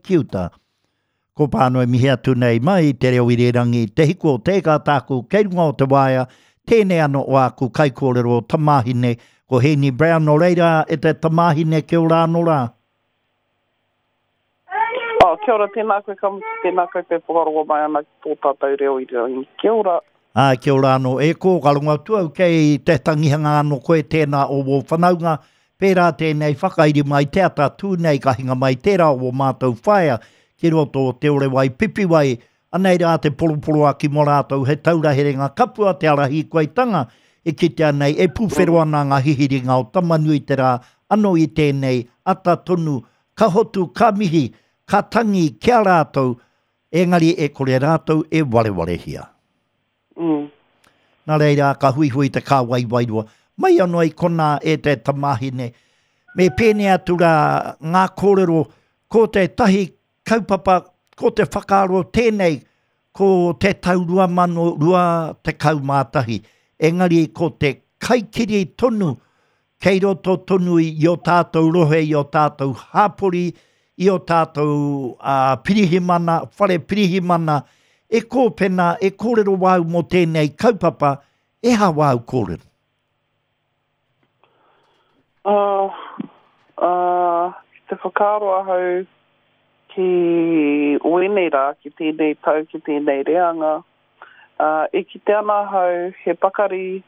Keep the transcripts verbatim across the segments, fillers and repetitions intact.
ki uta. Ko pāno e mihi atu nei mai te reo irirangi, te hiku o te eka tāku, kei runga o te waea, tēnei ano o aku kaikōrero tamāhine, ko Heeni Brown no reira e te tamāhine kia ora anō rā. Oh, kia ora, tēnā koe ka mutu, tēnā koutou whakarongo mai ana ki tō tātou reo irirangi. Kia ora. Ā, kia ora anō. E kō, ka rongo atu au kei te tangihanga anō koe tēnā o wō whanaunga, pērā tēnei whakairi mai te ata tū nei ka hinga mai tērā o wō mātou whaea ki roto o Te Orewai Pipiwai, anei rā te poroporoaki mō rātou he taura herenga kapua te ara hīkoitanga e kitea nei e pūwhero ana ngā hihiringa o Tamanui te rā anō i tēnei ata tonu ka hotu ka mihi ka tangi ki a rātou engari e kore rātou e warewarehia. Mm. Nā reira ka huihui te kāwai wairua. Mai anō i konā e te tamāhine. Me pēnei atu rā ngā kōrero ko tētahi kaupapa, ko te whakaaro tēnei, ko te tau rua mano rua tekau mā tahi. Engari ko te kaikiri tonu, kei roto tonu i o tātou rohe, i o tātou hāpori, i o tātou uh, pirihimana, whare pirihimana, e kōpena, e kōrero wāu mō tēnei kaupapa, e ha wāu kōrero? Uh, uh, ki te whakaaro ahau ki wēnei rā, ki tēnei tau, ki tēnei reanga, uh, e kite ana ahau he pakari,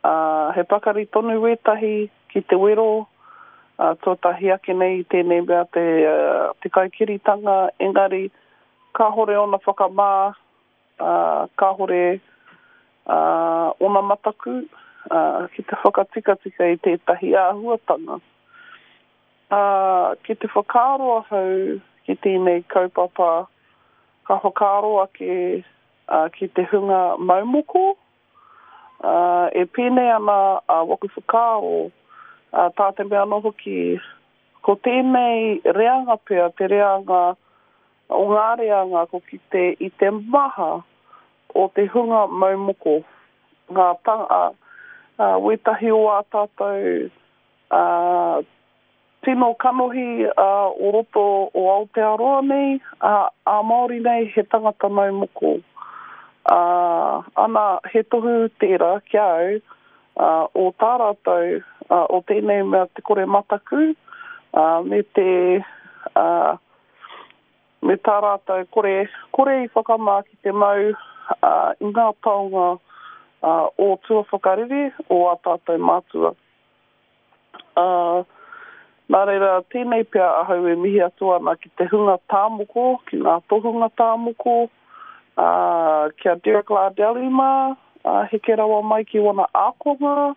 uh, he pakari tonu wētahi ki te wero, uh, tuatahi ake nei tēnei mea te, uh, te kaikiritanga, engari kāhore ona whakamā, uh, kāhore uh, ona mataku uh, ki te whakatikatika i tētahi āhuatanga. Uh, ki te whakaaro ahau ki tēnei kaupapa, ka whakaaro ake uh, ki te hunga maumoko, uh, e pēnei ana uh, waku whakaaro, uh, tā te mea anō hoki, ko tēnei reanga pea, te reanga, o ngā reanga ko ki te, i te maha o te hunga maumoko, ngā tanga, uh, wētahi o ā tātou uh, tino kanohi uh, o roto o Aotearoa nei, uh, a Māori nei he tangata maumoko. Uh, ana, he tohu tērā ki au, uh, o tā rātou, uh, o tēnei mea te kore mataku, uh, me te, uh, me tā rātou kore, kore i whakamā ki te mau uh, i ngā taonga uh, o tua whakarere o ā tātou mātua. Uh, nā reira, tēnei pea ahau e mihi atu ana ki te hunga tāmoko, ki ngā tohunga tāmoko, uh, kia Derek Lardelli mā, uh, heke rawa mai ki wana ākonga,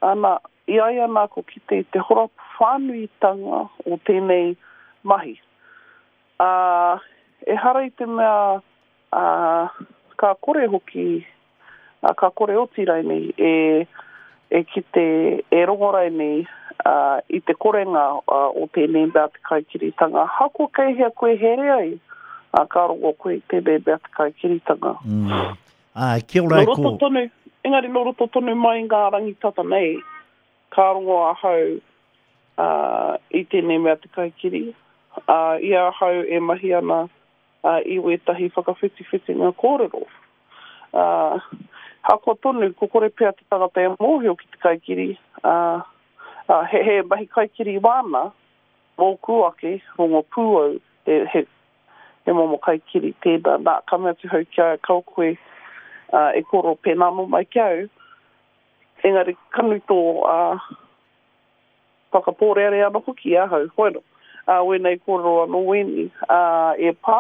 ana, i ai ana ko kite i te horapa whānuitanga o tēnei mahi. Uh, ehara i te mea uh, ka kore hoki, uh, ka kore oti rainei e, e kite, e rongo rainei uh, i te korenga uh, o tēnei mea te kaikiritanga. Hako kei hea koe here ai, uh, ka rongo koe i tēnei mea te kaikiritanga. Mm. Ai, kia ora Nō e roto kō. tonu, engari nō roto tonu mai ngā rangitata nei, ka rongo ahau uh, i tēnei mea te kaikiri. Uh, i ahau e mahi ana uh, i wētahi whakawhitiwhitinga kōrero. Uh, hako tonu, ko kore pea te tangata e mōhio ki te kaikiri, uh, uh, he, he mahi kaikiri wāna, mōku ake, rongo pūau, he, he, he momo kaikiri tēnā. Nā, ka mea atu hau kia kau koe uh, e koro pēnā mō mai ki au. Engari kanu tō uh, whakapōrearea anō hoki ahau, hoino. Uh, wēnei kōrero anō wēni. Uh, e pā,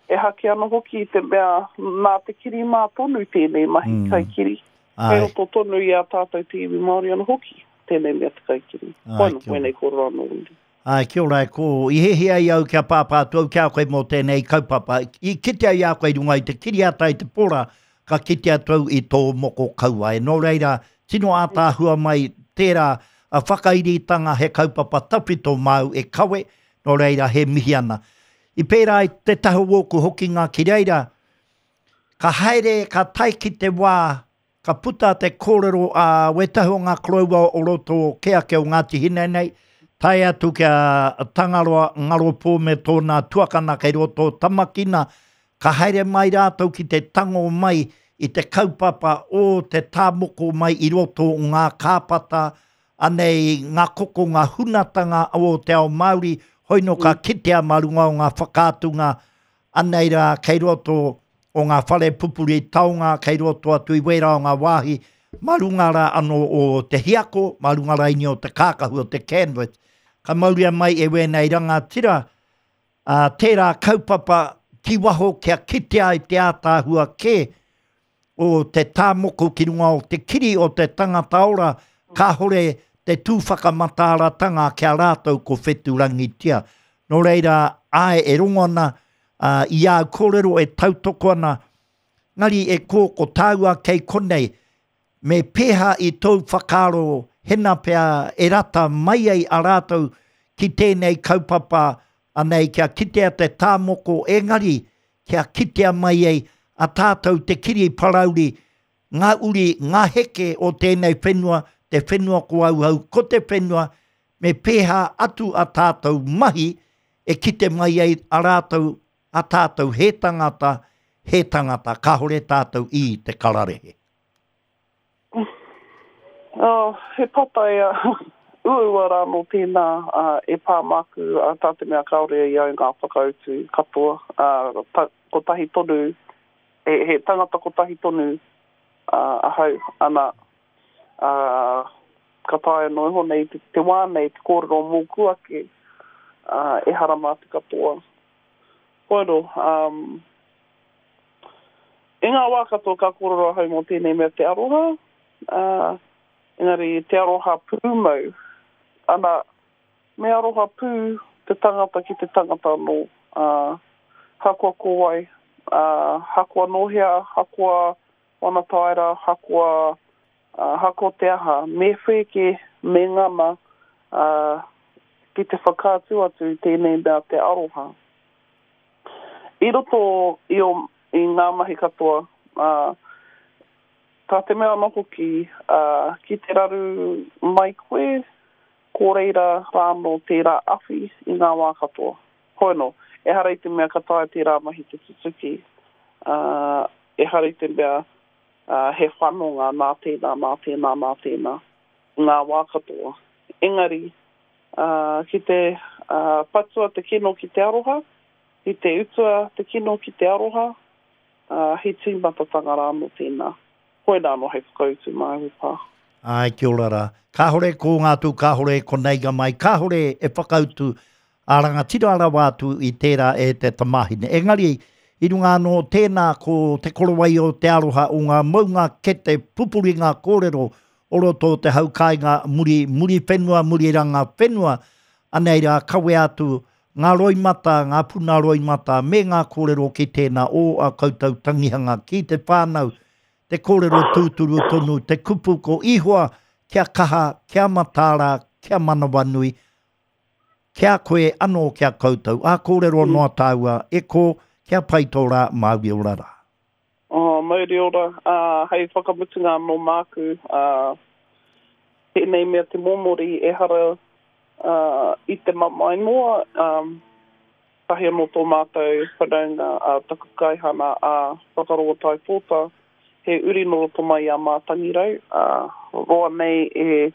e hake anō hoki i te mea nā te kiri mā tonu tēnei mahi Mm. kaikiri. Ai, Kei roto tonu i a tātou te iwi Māori anō hoki tēnei mea te kaikiri. Ai, Hoino, kia ora. wēnei kōrero anō wēni. Ai, kia ora e kō. I hiahia ai au kia pāpā atu au ki a koe mō tēnei kaupapa. I kite ai a koe i runga i te kiriata i te pora, ka kite atu au i tō moko kauae. Nō reira, tino ātaahua mai tērā a whakairitanga he kaupapa tawhito māu e kawe, nō reira he mihi ana. I pērā i te taha wōku hoki ngā ki reira, ka haere, ka tae ki te wā, ka puta te kōrero a wētahi o ngā koroua o roto ke ake o Ngāti Hine nei, Tae atu ki a Tangaroa Ngaropō me tōna tuakana kei roto o Tamakina, ka haere mai rātou ki te tango mai i te kaupapa o te tāmoko mai i roto o ngā kāpata, anei ngā koko, ngā hunatanga o te ao Māori, hoino ka kitea mā runga o ngā whakaatunga, anei rā kei roto o ngā whare pupuri taonga, kei roto atu i wērā o ngā wāhi, mā runga rā anō o te hiako, mā runga raini o te kākahu o te canvas. Ka mauria mai e wēnei rangatira, ā, tērā kaupapa ki waho kia kitea ai te ātaahua kē o te tāmoko ki runga o te kiri o te tangata ora, kāhore te tū whakamataaratanga ki a rātou ko whetūrangitia. Nō reira, āe e rongo ana uh, i āu kōrero e tautoko ana, ngari e kō ko tāua kei konei, me pēhā i tōu whakaaro hena pea e rata mai ai a rātou ki tēnei kaupapa anei kia kitea te tāmoko engari kia kitea mai ai a tātou te kiri parauri, ngā uri, ngā heke o tēnei whenua, te whenua ko auau, ko te whenua, me pēhā atu a tātou mahi e kite mai ai a rātou, a tātou he tangata, he tangata, kāhore tātou i te kararehe. Oh, he patai uh, uaua rā nō tēnā uh, e pā māku uh, tā te mea kāore i au ngā whakautu katoa. Uh, ta, kotahi tonu, he, he tangata kotahi tonu uh, ahau, ana, uh, ka taea noa iho nei te, te wā nei te kōrero mōku ake, uh, ehara mā te katoa. Koero, um, i ngā wā katoa ka kōrero ahau mō tēnei mea te aroha, uh, engari te aroha pūmau, ana, me aroha pū te tangata ki te tangata anō, uh, hakoa ko wai, uh, hakoa nō hea, hakoa wana taera, hakoa, uh, hakoa te aha, me whēke, me ngana, uh, ki te whakaatu atu i tēnei mea te aroha. I roto i, o, i ngā mahi katoa, uh, tā te mea anō hoki, uh, ki te raru mai koe, ko reira rānō tērā awhi i ngā wā katoa. Hoi anō, ehara i te mea ka taea tērā mahi te tutuki, uh, ehara i te mea uh, he whanonga nā tēnā, nā tēnā, nā tēnā, ngā wā katoa. Engari, uh, ki te uh, patua te kino ki te aroha, ki te utua te kino ki te aroha, uh, he tīmatatanga rānō tēnā. Koinā anō hei whakautu māu e pā. Ai, kia ora rā. Kāhore ko ngā tū, kāhore ko neiga mai, kāhore e whakautu a rangatira rawa atu i tērā e te tamāhine. Engari, i runga anō tēnā ko te korowai o te aroha o ngā maunga kete pupuri ngā kōrero o roto o te hau kāinga muri, muri whenua, muri ranga whenua, anei rā kawea atu ngā roimata, ngā puna roimata me ngā kōrero ki tēnā o a koutou tangihanga ki te whānau, te kōrero tūturu tonu, te kupu ko Ihoa, kia kaha, kia mataara, kia manawanui, kia koe anō kia koutou. Ā kōrero noa tāua, e kō, kia pai tō rā, Mauri ora rā. Oh, mauri ora, uh, hei whakamutunga anō māku, uh, tēnei mea te mōmori ehara uh, i te mamae noa, um, tahi anō tō mātou whanaunga, uh, taku kaihana a Whakaroa Taipōta, he uri nō roto mai i a Mātangirau, uh, roa nei e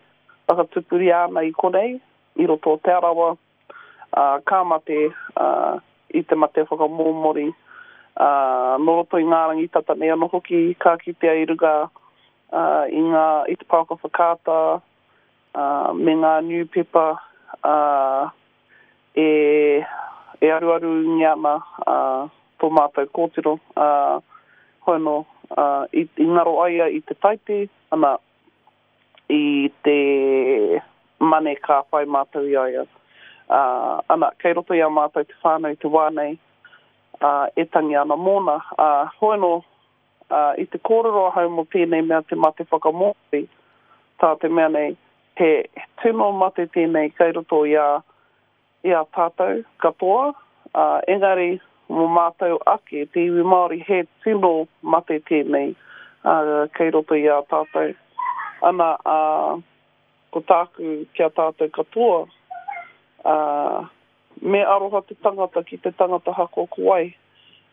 whakatupuria ana i konei, i roto o Te Arawa, uh, ka mate uh, i te mate whakamōmori, uh, nō roto i ngā rangi tata nei anō hoki, ka kitea i runga uh, i, ngā, i te pouaka whakaata, uh, me ngā niupepa uh, e, e aruarungia ana uh, tō mātou kōtiro, uh, hoi anō, uh, i, i ngaro ai ia i te taite, ana, i te mane ka whai mātou i a ia. Uh, ana, kei roto i a mātou te whānau i te wā nei, uh, e tangi ana mōna. Uh, hoi anō, uh, i te kōrero ahau mō tēnei mea te mate whakamōmori, tā te mea nei, he tino mate tēnei kei roto i a, i a tātou katoa, uh, engari mō mātou ake, te iwi Māori, he tino mate tēnei uh, kei roto i a tātou. Ana, uh, ko tāku ki a tātou katoa, Ā, me aroha te tangata ki te tangata hakoa ko wai.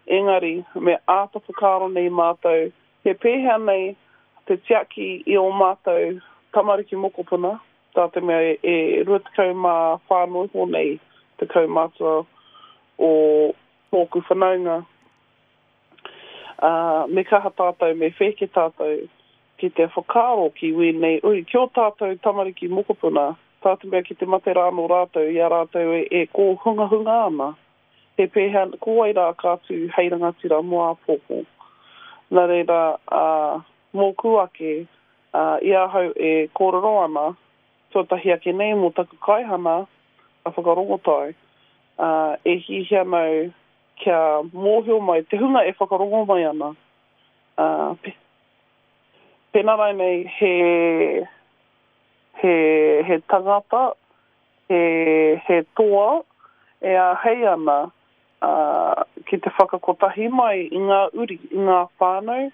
Engari, me āta whakaaro nei mātou, he pēhea nei te tiaki i ō mātou tamariki mokopuna, tā te mea e rua tekau mā whā noa iho nei te kaumātua o tōku whanaunga. Ā, me kaha tātou, me whēke tātou ki te whakaaro ki wēnei uri, ki ō tātou tamariki mokopuna, tā te mea ki te mate rānō rātou i a rātou e, e kōhungahunga ana, he pēhea, ko wai rā ka tū hei rangatira mō āpōpō. Nā reira, ā, mōku ake, ā, i ahau e kōrero ana, tuatahi ake nei mō taku kaihana a Whakarongotai, ā, e hiahia ana au kia mōhio mai te hunga e whakarongo mai ana, ā, pēnā rānei he, he, he tangata, he, he toa e āhei ana, ā, ki te whakakotahi mai i ngā uri, i ngā whānau,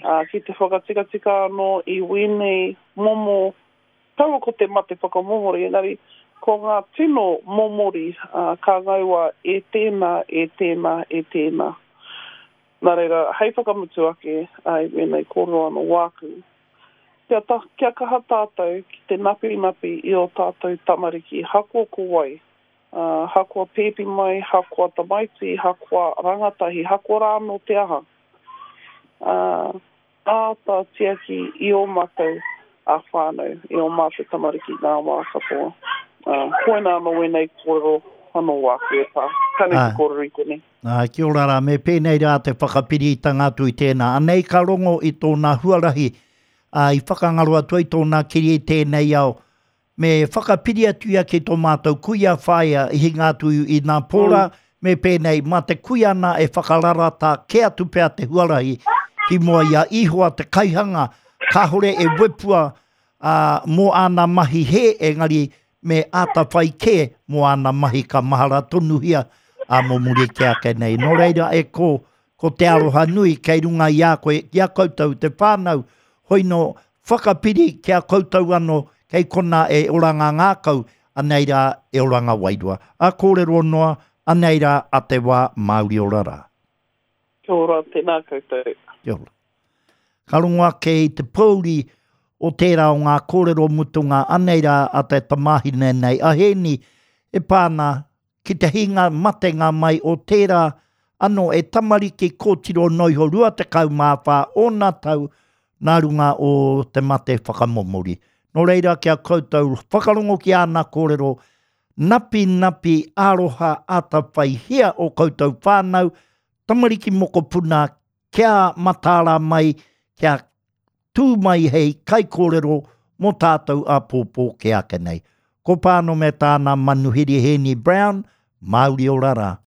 ā, ki te whakatikatika anō i wēnei momo, kaua ko te mate whakamomori, engari ko ngā tino momori, ā, ka ngaua e tēnā, e tēnā, e tēnā. Nā reira, hei whakamutu ake, ā, i wēnei kōrero anō wāku, kia ta, kia kaha tātou ki te napinapi i ō tātou tamariki, hakoa ko wai, ā, hakoa pēpi mai, hakoa tamaiti, hakoa rangatahi, hakoa rā anō te aha. Ā, āta tiaki i ō mātou a whānau, i ō mātou tamariki ngā wā katoa. Ā, koinā anō wēnei kōrero anō wāku e pā. Ka nui te kōrero i konei. Ā, kia ora rā, me pēnei rā te whakapiritanga atu i tēnā. Anei ka rongo i tōna huarahi, ā, i whakangaro atu ai tōna kiri i tēnei ao. Me whakapiri atu ia ki tō mātou kuia whaea i hinga atu i nā pō rā, me pēnei, mā te kuia nā e whakararata kē atu pea te huarahi ki mua i a Ihowa te kaihanga, kāhore e wepua, ā, mō āna mahi hē, engari me āta whai kē mō āna mahi ka mahara tonuhia, ā, mō muri kē ake nei. Nō reira, e kō, ko te aroha nui kei runga i a koe, ki a koutou te whānau, hoi nō, whakapiri ki a koutou anō, kei konā e oranga ngākau, anei rā e oranga wairua. A kōrero noa, anei rā a te wā Māori ora rā. Kia ora, tēnā koutou. Kia ora. Ka rongo ake i te pōuri o tērā o ngā kōrero mutunga anei rā a te tamāhine nei a Hēni e pā ana ki te hinga matenga mai o tērā anō e tamariki kōtiro noa iho rua tekau mā whā ōna tau nā runga o te mate whakamomori. Nō reira ki a koutou whakarongo ki āna kōrero napinapi aroha atawhaihia o koutou whānau, tamariki mokopuna kia mataara mai, kia tū mai hei kaikōrero mō tātou āpōpō kē ake nei. Ko Pāno me tāna manuhiri Hēni Brown, Māori ora rā.